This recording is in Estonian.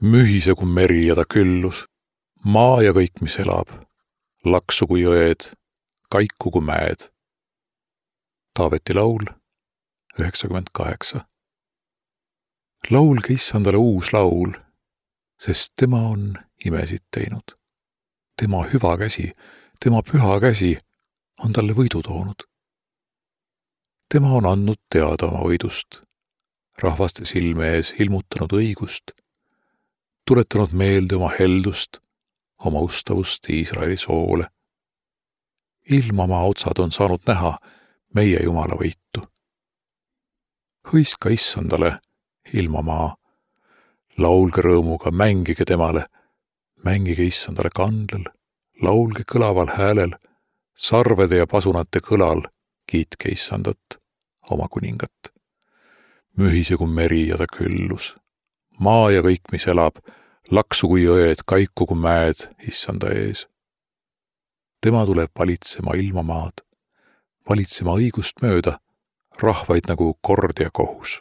Mühise kui meri ja ta küllus, maa ja kõik, mis elab, laksu kui jõed, kaiku kui mäed. Taaveti laul 98. Laulge Issandale uus laul, sest tema on imesid teinud. Tema hüva käsi, tema püha käsi on talle võidu toonud. Tema on andnud teada oma võidust, rahvaste silme ees ilmutanud õigust, tuletanud meelde oma heldust, oma ustavust Iisraeli soole. Ilmamaa otsad on saanud näha meie Jumala võitu. Hõiska Issandale, ilmamaa, laulge rõõmuga, mängige temale, mängige Issandale kandlel, laulge kõlaval häälel, sarvede ja pasunate kõlal, kiitke Issandat, oma kuningat. Mühise kui meri ja ta küllus, maa ja kõik, mis elab, laksu kui jõed, kaiku kui mäed Issanda ees. Tema tuleb valitsema ilmamaad, valitsema õigust mööda, rahvaid nagu kord ja kohus.